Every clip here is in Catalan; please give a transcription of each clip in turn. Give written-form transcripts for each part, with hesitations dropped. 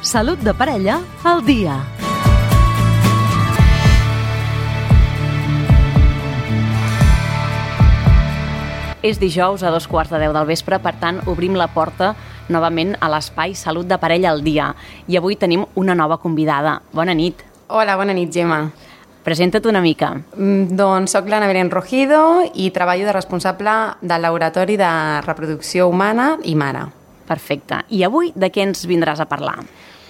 Salut de parella al dia. És dijous a 2:15 del vespre, per tant, obrim la porta novament a l'espai Salut de parella al dia. I avui tenim una nova convidada. Bona nit. Hola, bona nit, Gemma. Presenta't una mica. Doncs soc l'Anna Belén Rojido i treballo de responsable del Laboratori de Reproducció Humana i Mare. Perfecte. I avui de què ens vindràs a parlar?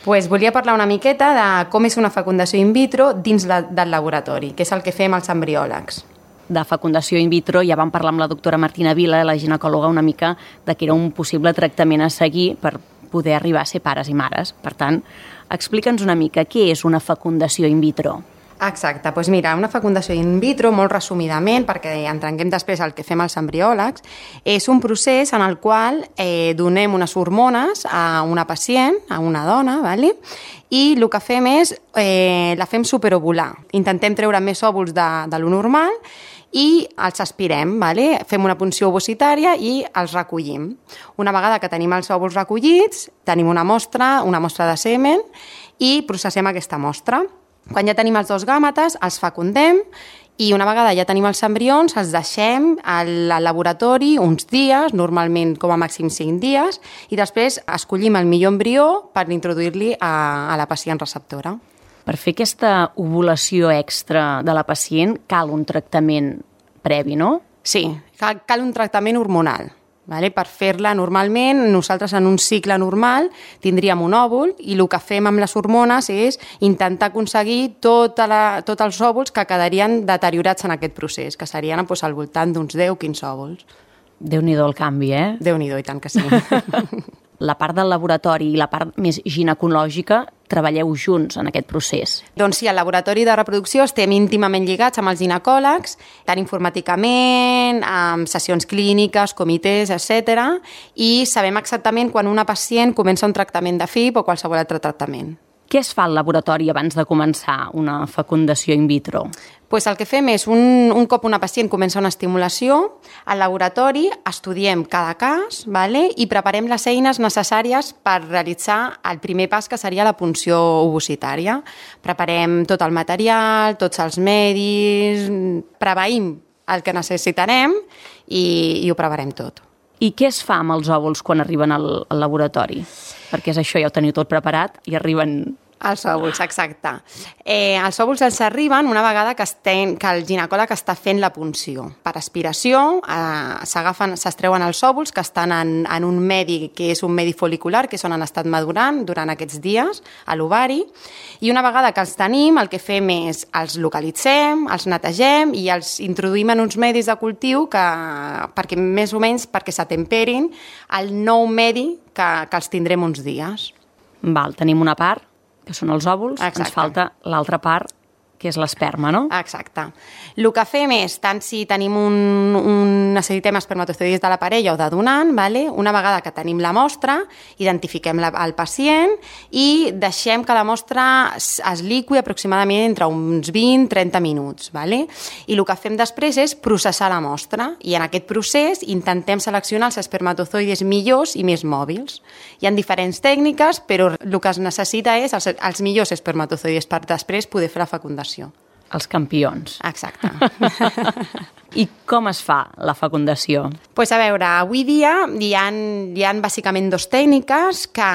Volia parlar una miqueta de com és una fecundació in vitro dins del laboratori, que és el que fem els embriòlegs. De fecundació in vitro ja vam parlar amb la doctora Martina Vila, la ginecòloga, una mica de que era un possible tractament a seguir per poder arribar a ser pares i mares. Per tant, explica'ns una mica què és una fecundació in vitro. Exacte, doncs mira, una fecundació in vitro, molt resumidament, perquè entrenguem després el que fem els embriòlegs, és un procés en el qual donem unes hormones a una pacient, a una dona, ¿vale? I el que fem és, la fem superovular. Intentem treure més òvuls de lo normal i els aspirem, ¿vale? Fem una punció ovocitària i els recollim. Una vegada que tenim els òvuls recollits, tenim una mostra de semen i processem aquesta mostra. Quan ja tenim els dos gàmetes, els fecundem i una vegada ja tenim els embrions, els deixem al laboratori uns dies, normalment com a màxim 5 dies, i després escollim el millor embrió per introduir-li a la pacient receptora. Per fer aquesta ovulació extra de la pacient cal un tractament previ, no? Sí, cal un tractament hormonal. Vale? Per fer-la normalment, nosaltres en un cicle normal tindríem un òvul i el que fem amb les hormones és intentar aconseguir tots els òvuls que quedarien deteriorats en aquest procés, que serien al voltant d'uns 10-15 òvuls. Déu-n'hi-do el canvi, eh? Déu-n'hi-do, i tant que sí. La part del laboratori i la part més ginecològica treballeu junts en aquest procés. Doncs sí, al laboratori de reproducció estem íntimament lligats amb els ginecòlegs, tant informàticament, amb sessions clíniques, comitès, etc. I sabem exactament quan una pacient comença un tractament de FIP o qualsevol altre tractament. Què es fa al laboratori abans de començar una fecundació in vitro? Pues el que fem és, un cop una pacient comença una estimulació, al laboratori estudiem cada cas, ¿vale? I preparem les eines necessàries per realitzar el primer pas, que seria la punció ovocitària. Preparem tot el material, tots els medis, preveïm el que necessitarem i ho preparem tot. I què es fa amb els òvuls quan arriben al laboratori? Perquè és això, ja ho teniu tot preparat i arriben... Els òvuls, exacte. Els òvuls els arriben una vegada que el ginecòleg està fent la punció. Per aspiració s'extreuen els òvuls que estan en un medi que és un medi folicular, que és on han estat madurant durant aquests dies a l'ovari, i una vegada que els tenim el que fem és els localitzem, els netegem i els introduïm en uns medis de cultiu perquè més o menys s'atemperin al nou medi que els tindrem uns dies. Val, tenim una part, que són els òvuls, exacte. Ens falta l'altra part, que és l'esperma, no? Exacte. El que fem és, tant si tenim necessitem espermatozoides de la parella o de donant, ¿vale? Una vegada que tenim la mostra, identifiquem el pacient i deixem que la mostra es liqui aproximadament entre uns 20-30 minuts. ¿Vale? I el que fem després és processar la mostra i en aquest procés intentem seleccionar els espermatozoides millors i més mòbils. Hi ha diferents tècniques, però el que es necessita és els millors espermatozoides per després poder fer la fecundació. Els campions. Exacte. I com es fa la fecundació? Pues a veure, avui dia hi ha bàsicament dues tècniques, que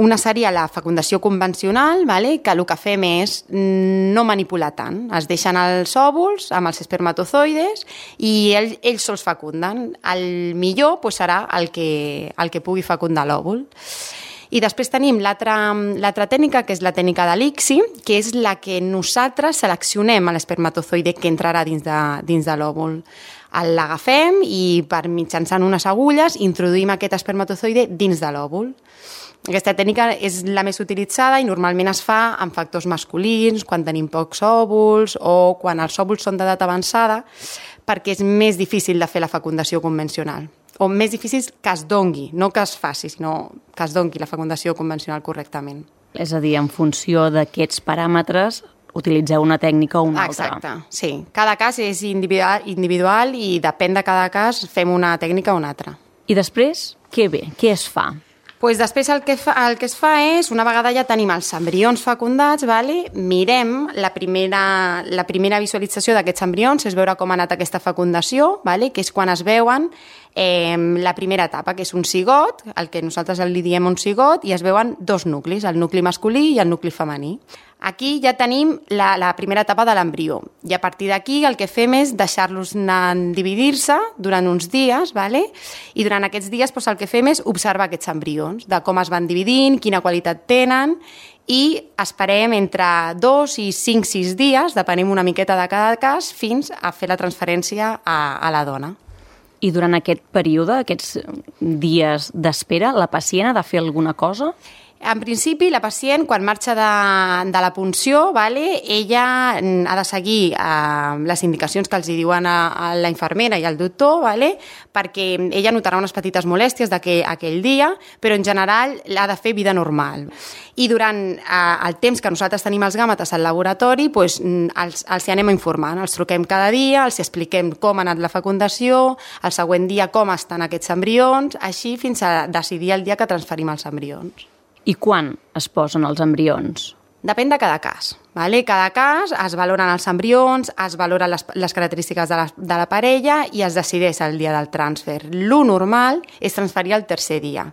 una seria la fecundació convencional, ¿vale? Que el que fem és no manipular tant. Es deixen els òvuls amb els espermatozoides i ells sols fecunden. El millor pues, serà el que pugui fecundar l'òvul. I després tenim l'altra tècnica, que és la tècnica de l'ICSI, que és la que nosaltres seleccionem l'espermatozoide que entrarà dins de l'òvul. L'agafem i mitjançant unes agulles introduïm aquest espermatozoide dins de l'òvul. Aquesta tècnica és la més utilitzada i normalment es fa amb factors masculins, quan tenim pocs òvuls o quan els òvuls són d'edat avançada, perquè és més difícil de fer la fecundació convencional. O més difícil que es dongui, no que es faci, sinó que es dongui la fecundació convencional correctament. És a dir, en funció d'aquests paràmetres, utilitzeu una tècnica o una altra. Exacte, sí. Cada cas és individual i depèn de cada cas fem una tècnica o una altra. I després, què ve? Què es fa? Pues després el que es fa és, una vegada ja tenim els embrions fecundats, mirem la primera visualització d'aquests embrions, és veure com ha anat aquesta fecundació, que és quan es veuen la primera etapa, que és un cigot, el que nosaltres li diem un cigot, i es veuen dos nuclis, el nucli masculí i el nucli femení. Aquí ja tenim la primera etapa de l'embrió i a partir d'aquí el que fem és deixar-los dividir-se durant uns dies, i durant aquests dies el que fem és observar aquests embrions, de com es van dividint, quina qualitat tenen, i esperem entre 2 i 5-6 dies, depenem una miqueta de cada cas, fins a fer la transferència a la dona. I durant aquest període, aquests dies d'espera, la pacient ha de fer alguna cosa? En principi, la pacient, quan marxa de la punció, ella ha de seguir les indicacions que els diuen a la infermera i al doctor, perquè ella notarà unes petites molèsties d'aquell dia, però en general ha de fer vida normal. I durant el temps que nosaltres tenim els gàmetes al laboratori, els anem informant, els truquem cada dia, els expliquem com ha anat la fecundació, el següent dia com estan aquests embrions, així fins a decidir el dia que transferim els embrions. I quan es posen els embrions? Depèn de cada cas. Cada cas es valoren els embrions, es valoren les característiques de la parella i es decideix el dia del transfer. Lo normal és transferir el tercer dia.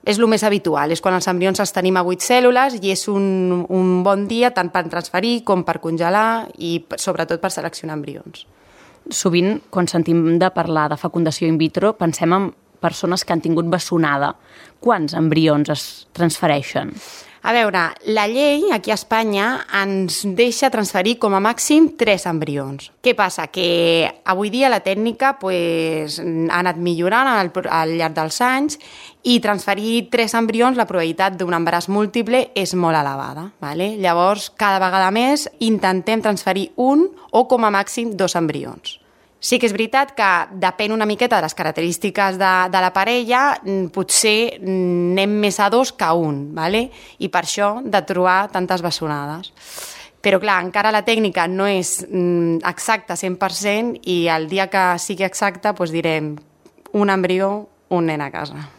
És el més habitual, és quan els embrions els tenim a 8 cèl·lules i és un bon dia tant per transferir com per congelar i sobretot per seleccionar embrions. Sovint, quan sentim de parlar de fecundació in vitro, pensem en persones que han tingut bessonada. Quants embrions es transfereixen? A veure, la llei aquí a Espanya ens deixa transferir com a màxim 3 embrions. Què passa? Que avui dia la tècnica ha anat millorant al llarg dels anys i transferir 3 embrions, la probabilitat d'un embaràs múltiple és molt elevada. Llavors, cada vegada més intentem transferir un o com a màxim 2 embrions. Sí que és veritat que depèn una miqueta de les característiques de la parella, potser anem més a 2 que a 1, i per això de trobar tantes bessonades. Però clar, encara la tècnica no és exacta 100% i el dia que sigui exacta direm un embrió, un nen a casa.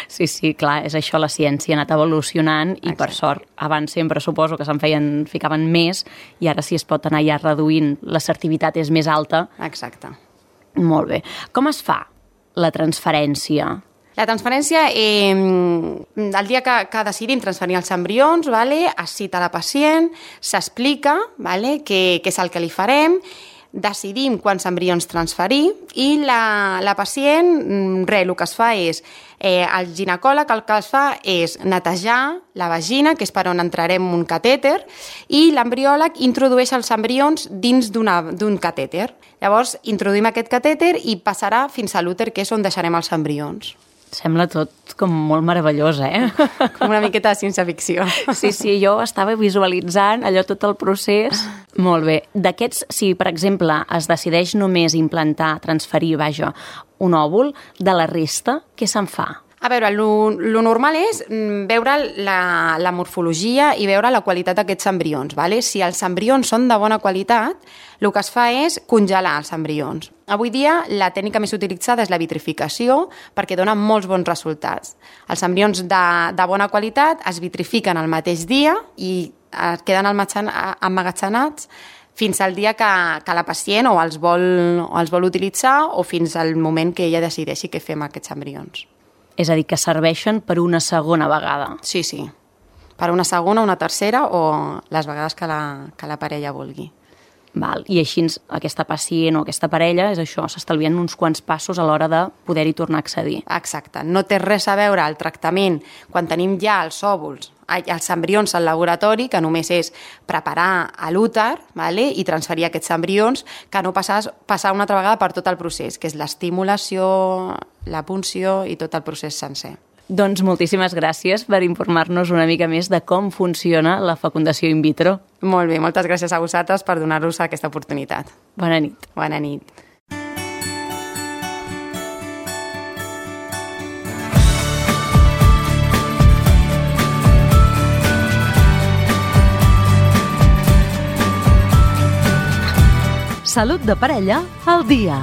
Sí, clar, és això, la ciència ha anat evolucionant i per sort, abans sempre suposo que ficaven més i ara si es pot anar ja reduint, l'assertivitat és més alta. Exacte. Molt bé. Com es fa la transferència? La transferència, el dia que decidim transferir els embrions, es cita la pacient, s'explica què és el que li farem, decidim quants embrions transferir i la pacient, el que es fa és, el ginecòleg el que es fa és netejar la vagina, que és per on entrarem un catèter, i l'embriòleg introdueix els embrions dins d'un catèter. Llavors, introduïm aquest catèter i passarà fins a l'úter, que és on deixarem els embrions. Sembla tot com molt meravellós, Com una miqueta de ciència-ficció. Sí, jo estava visualitzant allò tot el procés. Molt bé. D'aquests, si per exemple es decideix només implantar, transferir, un òvul, de la resta, què se'n fa? A veure, lo normal és veure la morfologia i veure la qualitat d'aquests embrions. Si els embrions són de bona qualitat, el que es fa és congelar els embrions. Avui dia la tècnica més utilitzada és la vitrificació perquè dona molts bons resultats. Els embrions de bona qualitat es vitrifiquen el mateix dia i queden emmagatzemats fins al dia que la pacient o els vol utilitzar o fins al moment que ella decideixi què fer amb aquests embrions. És a dir, que serveixen per una segona vegada. Sí. Per una segona, una tercera o les vegades que la parella vulgui. Val. I així aquesta pacient o aquesta parella, és això, s'estalvien uns quants passos a l'hora de poder-hi tornar a accedir. Exacte. No té res a veure el tractament quan tenim ja els òvuls, els embrions al laboratori, que només és preparar a l'úter i transferir aquests embrions, que no passar una altra vegada per tot el procés, que és l'estimulació, la punció i tot el procés sencer. Doncs moltíssimes gràcies per informar-nos una mica més de com funciona la fecundació in vitro. Molt bé, moltes gràcies a vosaltres per donar-nos aquesta oportunitat. Bona nit. Bona nit. Salut de parella al dia.